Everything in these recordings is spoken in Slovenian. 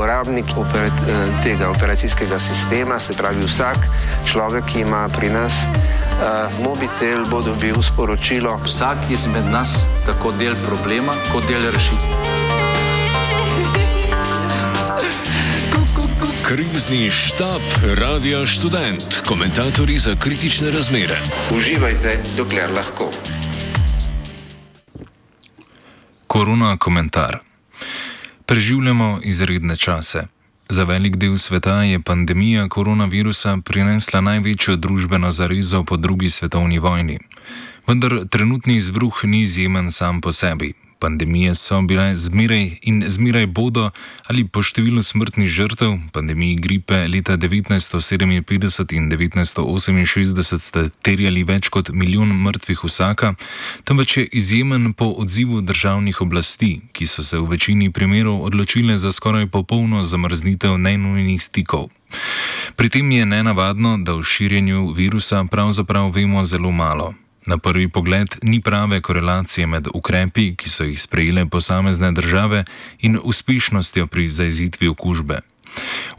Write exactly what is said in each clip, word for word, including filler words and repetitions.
uporabnik operat, tega operacijskega sistema, se pravi vsak človek, ki ima pri nas uh, mobitel, bo dobil sporočilo. Vsak izmed nas tako del problema, kot del rešitve. Krizni štab Radia Študent, komentatorji za kritične razmere. Uživajte, dokler lahko. Korona komentar. Preživljamo izredne čase. Za velik del sveta je pandemija koronavirusa prinesla največjo družbeno zarezo po drugi svetovni vojni. Vendar trenutni izbruh ni izjemen sam po sebi. Pandemije so bile zmeraj in zmeraj bodo ali po številu smrtnih žrtev, pandemiji gripe leta devetnajststo sedeminpetdeset in devetnajststo oseminšestdeset sta terjali več kot milijon mrtvih vsaka, temveč je izjemen po odzivu državnih oblasti, ki so se v večini primerov odločile za skoraj popolno zamrznitev nenujnih stikov. Pri tem je nenavadno, da o širjenju virusa pravzaprav vemo zelo malo. Na prvi pogled ni prave korelacije med ukrepi, ki so jih sprejele posamezne države, in uspešnostjo pri zajezitvi okužbe.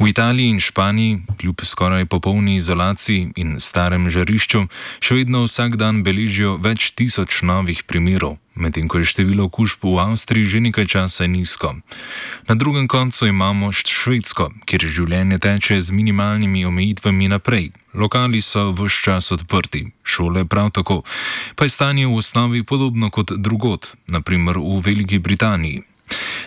V Italiji in Španiji, kljub skoraj popolni izolaciji in starem žarišču, še vedno vsak dan beležijo več tisoč novih primerov, medtem ko je število okužb v Avstriji že nekaj časa nizko. Na drugem koncu imamo Švedsko, kjer življenje teče z minimalnimi omejitvami naprej. Lokali so ves čas odprti, šole prav tako, pa je stanje v osnovi podobno kot drugod, na primer v Veliki Britaniji.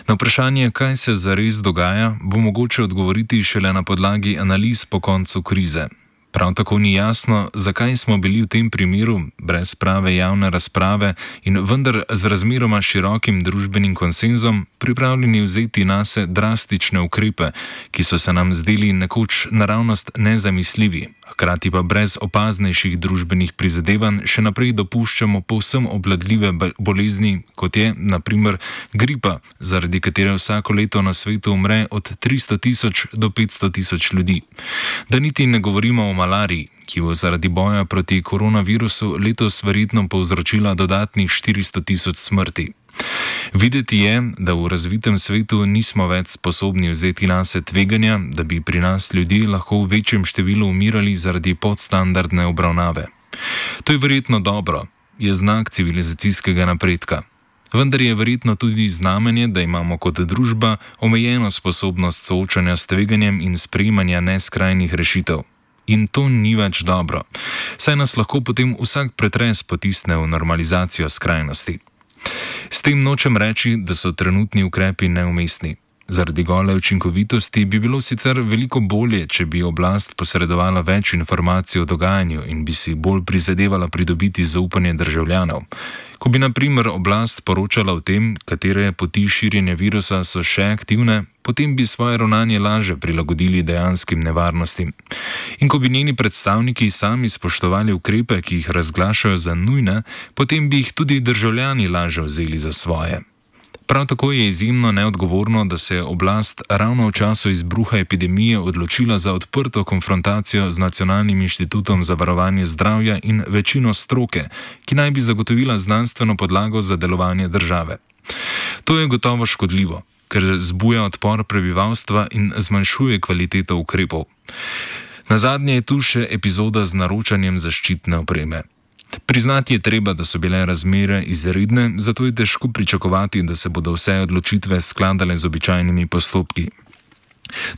Na vprašanje, kaj se zares dogaja, bo mogoče odgovoriti šele na podlagi analiz po koncu krize. Prav tako ni jasno, zakaj smo bili v tem primeru, brez prave javne razprave in vendar z razmeroma širokim družbenim konsenzom, pripravljeni vzeti nase drastične ukrepe, ki so se nam zdeli nekoč naravnost nezamisljivi, hkrati pa brez opaznejših družbenih prizadevanj še naprej dopuščamo povsem obvladljive bolezni, kot je, na primer, gripa, zaradi katere vsako leto na svetu umre od tristo tisoč do petsto tisoč ljudi. Da niti ne govorimo o malariji, ki bo zaradi boja proti koronavirusu letos verjetno povzročila dodatnih štiristo tisoč smrti. Videti je, da v razvitem svetu nismo več sposobni vzeti nase tveganja, da bi pri nas ljudje lahko v večjem številu umirali zaradi podstandardne obravnave. To je verjetno dobro, je znak civilizacijskega napredka. Vendar je verjetno tudi znamenje, da imamo kot družba omejeno sposobnost soočanja s tveganjem in sprejemanja neskrajnih rešitev. In to ni več dobro, saj nas lahko potem vsak pretres potisne v normalizacijo skrajnosti. S tem nočem reči, da so trenutni ukrepi neumestni. Zaradi gole učinkovitosti bi bilo sicer veliko bolje, če bi oblast posredovala več informacij o dogajanju in bi si bolj prizadevala pridobiti zaupanje državljanov. Ko bi na primer oblast poročala o tem, katere poti širjenja virusa so še aktivne, potem bi svoje ravnanje lažje prilagodili dejanskim nevarnostim. In ko bi njeni predstavniki sami spoštovali ukrepe, ki jih razglašajo za nujne, potem bi jih tudi državljani lažje vzeli za svoje. Prav tako je izjemno neodgovorno, da se je oblast ravno v času izbruha epidemije odločila za odprto konfrontacijo z Nacionalnim inštitutom za varovanje zdravja in večino stroke, ki naj bi zagotovila znanstveno podlago za delovanje države. To je gotovo škodljivo, ker zbuja odpor prebivalstva in zmanjšuje kvaliteto ukrepov. Nazadnje je tu še epizoda z naročanjem zaščitne opreme. Priznati je treba, da so bile razmere izredne, zato je težko pričakovati, da se bodo vse odločitve skladale z običajnimi postopki.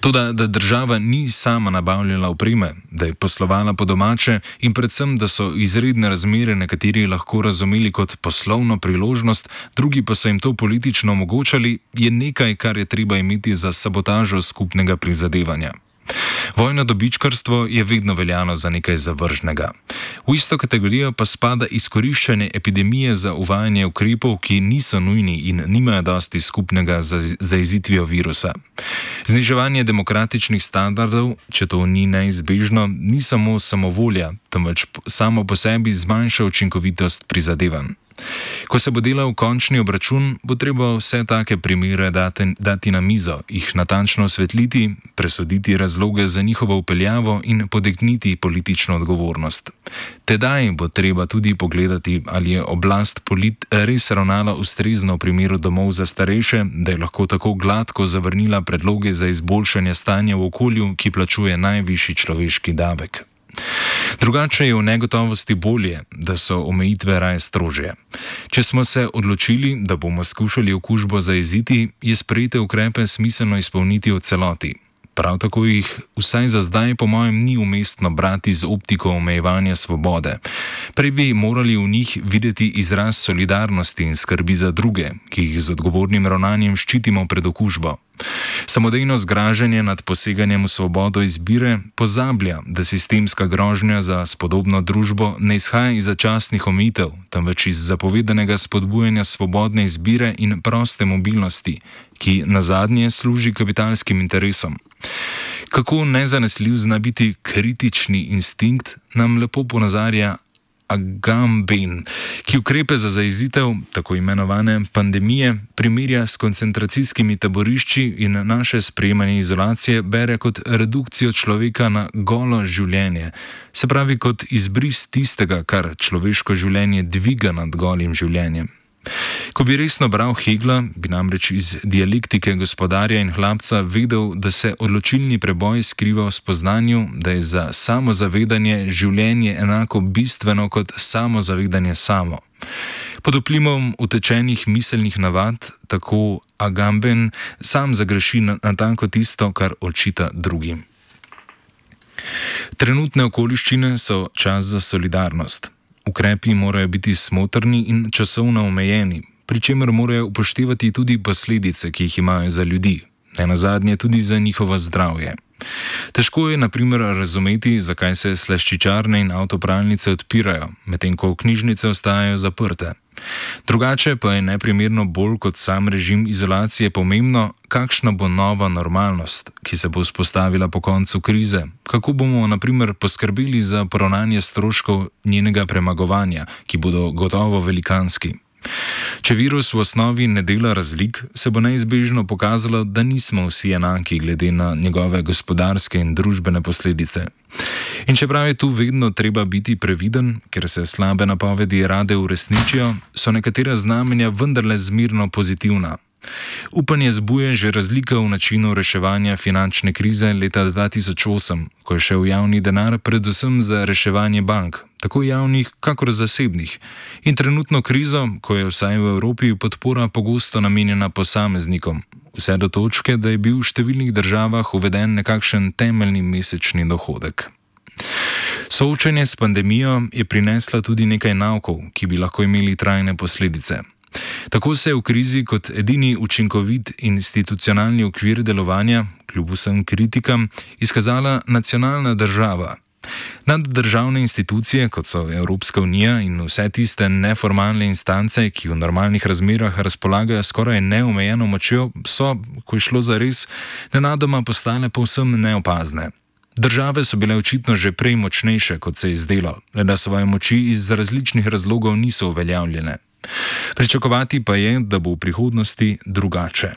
Toda, da država ni sama nabavljala opreme, da je poslovala po domače in predvsem, da so izredne razmere nekateri lahko razumeli kot poslovno priložnost, drugi pa so jim to politično omogočali, je nekaj, kar je treba imeti za sabotažo skupnega prizadevanja. Vojno dobičkarstvo je vedno veljalo za nekaj zavržnega. V isto kategorijo pa spada izkoriščanje epidemije za uvajanje ukrepov, ki niso nujni in nimajo dosti skupnega z zajezitvijo virusa. Zniževanje demokratičnih standardov, če to ni neizbežno, ni samo samovolja, temveč samo po sebi zmanjša učinkovitost prizadevanj. Ko se bo delal končni obračun, bo treba vse take primere dati, dati na mizo, jih natančno osvetliti, presoditi razloge za njihovo vpeljavo in potegniti politično odgovornost. Tedaj bo treba tudi pogledati, ali je oblast polit res ravnala ustrezno v primeru domov za starejše, da je lahko tako gladko zavrnila predloge za izboljšanje stanja v okolju, ki plačuje najvišji človeški davek. Drugače je v negotovosti bolje, da so omejitve raje strožje. Če smo se odločili, da bomo skušali okužbo zajeziti, je sprejete ukrepe smiselno izpolniti v celoti. Prav tako jih vsaj za zdaj po mojem ni umestno brati z optiko omejevanja svobode. Prej bi morali v njih videti izraz solidarnosti in skrbi za druge, ki jih z odgovornim ravnanjem ščitimo pred okužbo. Samodejno zgražanje nad poseganjem v svobodo izbire pozablja, da sistemska grožnja za spodobno družbo ne izhaja iz začasnih omejitev, temveč iz zapovedanega spodbujanja svobodne izbire in proste mobilnosti, ki nazadnje služi kapitalskim interesom. Kako nezanesljiv zna biti kritični instinkt, nam lepo ponazarja Agamben, ki ukrepe za zajezitev tako imenovane pandemije primerja s koncentracijskimi taborišči in naše sprejemanje izolacije bere kot redukcijo človeka na golo življenje, se pravi kot izbris tistega, kar človeško življenje dviga nad golim življenjem. Ko bi resno bral Hegla, bi namreč iz dialektike gospodarja in hlapca vedel, da se odločilni preboj skriva v spoznanju, da je za samozavedanje življenje enako bistveno kot samozavedanje samo. Pod vplivom utečenih miselnih navad, tako Agamben sam zagreši natanko tisto, kar očita drugim. Trenutne okoliščine so čas za solidarnost. Ukrepi morajo biti smotrni in časovno omejeni, pri čemer morajo upoštevati tudi posledice, ki jih imajo za ljudi, nenazadnje tudi za njihovo zdravje. Težko je na primer razumeti, zakaj se slaščičarne in avtopralnice odpirajo, medtem ko knjižnice ostajajo zaprte. Drugače pa je neprimerno bolj kot sam režim izolacije pomembno, kakšna bo nova normalnost, ki se bo vzpostavila po koncu krize, kako bomo na primer poskrbeli za poravnanje stroškov njenega premagovanja, ki bodo gotovo velikanski. Če virus v osnovi ne dela razlik, se bo neizbežno pokazalo, da nismo vsi enaki glede na njegove gospodarske in družbene posledice. In čeprav je tu vedno treba biti previden, ker se slabe napovedi rade uresničijo, so nekatera znamenja vendarle zmerno pozitivna. Upanje zbuje že razlika v načinu reševanja finančne krize leta dva tisoč osem, ko je šel javni denar predvsem za reševanje bank, tako javnih kakor zasebnih, in trenutno krizo, ko je vsaj v Evropi podpora pogosto namenjena posameznikom, vse do točke, da je bil v številnih državah uveden nekakšen temeljni mesečni dohodek. Soočenje s pandemijo je prinesla tudi nekaj naukov, ki bi lahko imeli trajne posledice. Tako se je v krizi kot edini učinkovit institucionalni okvir delovanja, kljub vsem kritikam, izkazala nacionalna država. Naddržavne institucije, kot so Evropska unija in vse tiste neformalne instance, ki v normalnih razmerah razpolagajo skoraj neomejeno močjo, so, ko je šlo za res, nenadoma postale povsem neopazne. Države so bile očitno že prej močnejše, kot se je zdelo, le da svoje moči iz različnih razlogov niso uveljavljene. Pričakovati pa je, da bo v prihodnosti drugače.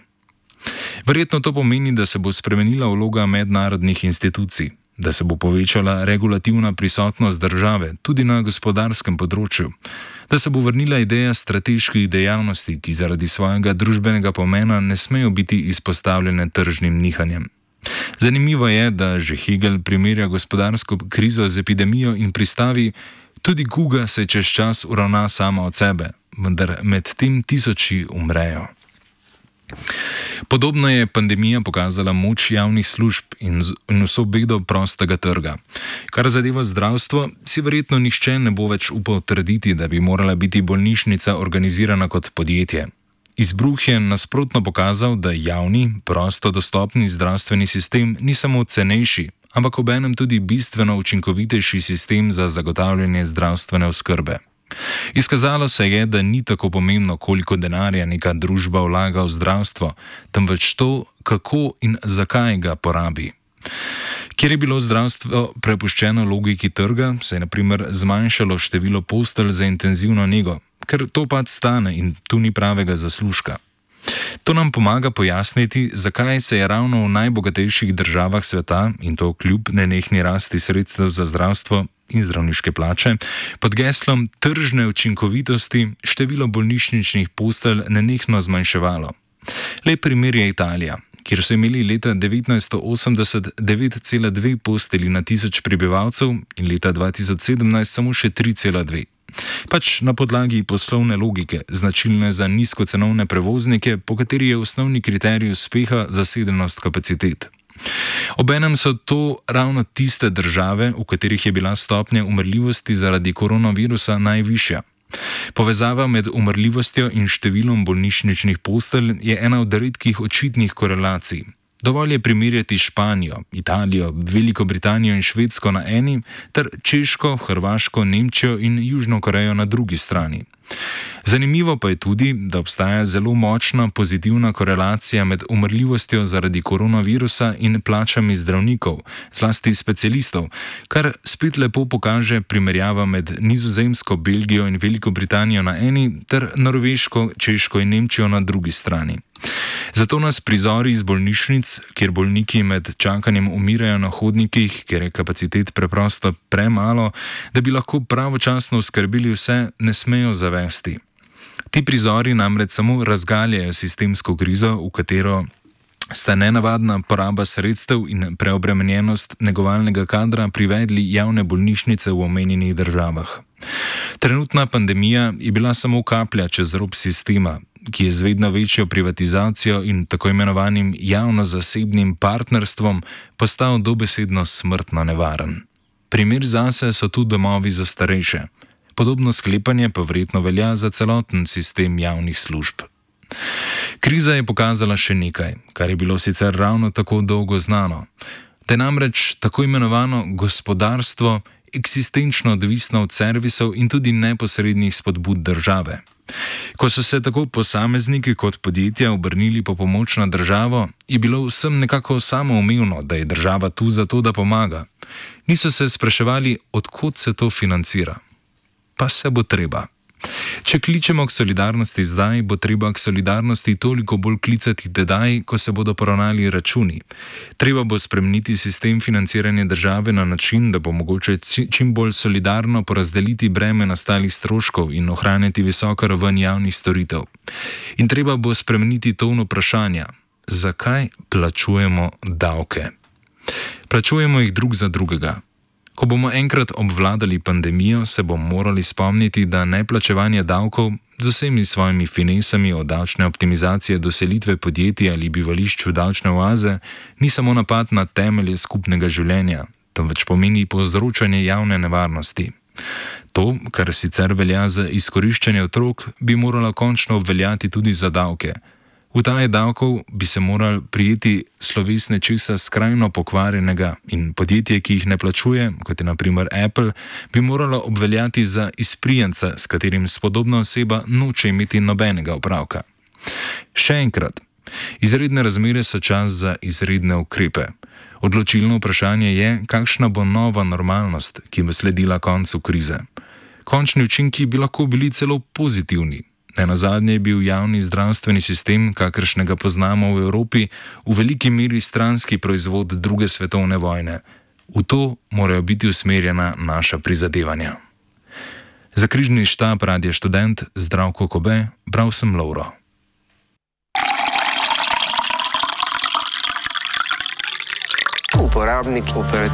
Verjetno to pomeni, da se bo spremenila vloga mednarodnih institucij, da se bo povečala regulativna prisotnost države tudi na gospodarskem področju, da se bo vrnila ideja strateških dejavnosti, ki zaradi svojega družbenega pomena ne smejo biti izpostavljene tržnim nihanjem. Zanimivo je, da že Hegel primerja gospodarsko krizo z epidemijo in pristavi: tudi kuga se čez čas uravna sama od sebe, vendar med tem tisoči umrejo. Podobno je pandemija pokazala moč javnih služb in, z, in vso bedo prostega trga. Kar zadeva zdravstvo, si verjetno nihče ne bo več upal trditi, da bi morala biti bolnišnica organizirana kot podjetje. Izbruh je nasprotno pokazal, da javni, prosto dostopni zdravstveni sistem ni samo cenejši, ampak obenem tudi bistveno učinkovitejši sistem za zagotavljanje zdravstvene oskrbe. Izkazalo se je, da ni tako pomembno, koliko denarja neka družba vlaga v zdravstvo, temveč to, kako in zakaj ga porabi. Kjer je bilo zdravstvo prepuščeno logiki trga, se je na primer zmanjšalo število postelj za intenzivno nego, ker to pač stane in tu ni pravega zaslužka. To nam pomaga pojasniti, zakaj se je ravno v najbogatejših državah sveta, in to kljub nenehni rasti sredstev za zdravstvo in zdravniške plače, pod geslom tržne učinkovitosti število bolnišničnih postelj nenehno zmanjševalo. Lep primer je Italija, kjer so imeli leta devetnajststo osemdeset devet cela dve postelji na tisoč prebivalcev in leta dva tisoč sedemnajst samo še tri cela dve. Pač na podlagi poslovne logike, značilne za nizkocenovne prevoznike, po kateri je osnovni kriterij uspeha zasedenost kapacitet. Obenem so to ravno tiste države, v katerih je bila stopnja umrljivosti zaradi koronavirusa najvišja. Povezava med umrljivostjo in številom bolnišničnih postelj je ena od redkih očitnih korelacij. Dovolj je primerjati Španijo, Italijo, Veliko Britanijo in Švedsko na eni ter Češko, Hrvaško, Nemčijo in Južno Korejo na drugi strani. Zanimivo pa je tudi, da obstaja zelo močna pozitivna korelacija med umrljivostjo zaradi koronavirusa in plačami zdravnikov, zlasti specialistov, kar spet lepo pokaže primerjava med Nizozemsko, Belgijo in Veliko Britanijo na eni ter Norveško, Češko in Nemčijo na drugi strani. Zato nas prizori iz bolnišnic, kjer bolniki med čakanjem umirajo na hodnikih, ker je kapacitet preprosto premalo, da bi lahko pravočasno oskrbeli vse, ne smejo zavesti. Ti prizori namreč samo razgaljajo sistemsko krizo, v katero sta nenavadna poraba sredstev in preobremenjenost negovalnega kadra privedli javne bolnišnice v omenjenih državah. Trenutna pandemija je bila samo kaplja čez rob sistema, ki je z vedno večjo privatizacijo in tako imenovanim javno-zasebnim partnerstvom postal dobesedno smrtno nevaren. Primer zase so tu domovi za starejše. Podobno sklepanje pa verjetno velja za celoten sistem javnih služb. Kriza je pokazala še nekaj, kar je bilo sicer ravno tako dolgo znano, da je namreč tako imenovano gospodarstvo eksistenčno odvisno od servisov in tudi neposrednih spodbud države. Ko so se tako posamezniki kot podjetja obrnili po pomoč na državo, je bilo vsem nekako samoumevno, da je država tu zato, da pomaga. Niso se spraševali, od kod se to financira. Pa se bo treba. Če kličemo k solidarnosti zdaj, bo treba k solidarnosti toliko bolj klicati tedaj, ko se bodo poravnali računi. Treba bo spremeniti sistem financiranja države na način, da bo mogoče čim bolj solidarno porazdeliti breme nastalih stroškov in ohraniti visoko raven javnih storitev. In treba bo spremeniti ton vprašanja, zakaj plačujemo davke. Plačujemo jih drug za drugega. Ko bomo enkrat obvladali pandemijo, se bomo morali spomniti, da neplačevanje davkov z vsemi svojimi finesami od davčne optimizacije do selitve podjetij ali bivališč v davčne oaze ni samo napad na temelje skupnega življenja, temveč pomeni povzročanje javne nevarnosti. To, kar sicer velja za izkoriščanje otrok, bi moralo končno obveljati tudi za davke. Utaje davkov bi se morali prijeti sloves nečesa skrajno pokvarjenega in podjetje, ki jih ne plačuje, kot je na primer Apple, bi moralo obveljati za izprijenca, s katerim spodobna oseba noče imeti nobenega opravka. Še enkrat, izredne razmere so čas za izredne ukrepe. Odločilno vprašanje je, kakšna bo nova normalnost, ki bo sledila koncu krize. Končni učinki bi lahko bili celo pozitivni. Nenazadnje je bil javni zdravstveni sistem, kakršnega poznamo v Evropi, v veliki meri stranski proizvod druge svetovne vojne. V to morajo biti usmerjena naša prizadevanja. Za križni štab Radia Študent, Zdravko Kobe, bral sem Lovro. Uporabnik operat,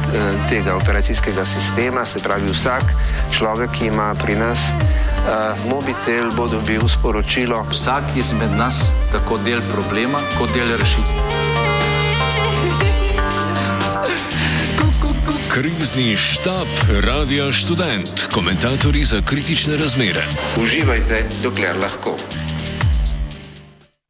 tega operacijskega sistema, se pravi vsak človek, ki ima pri nas uh, mobitel, bo dobil sporočilo. Vsak izmed nas tako del problema, kot del rešitve. Krizni štab Radia Študent, komentatorji za kritične razmere. Uživajte, dokler lahko.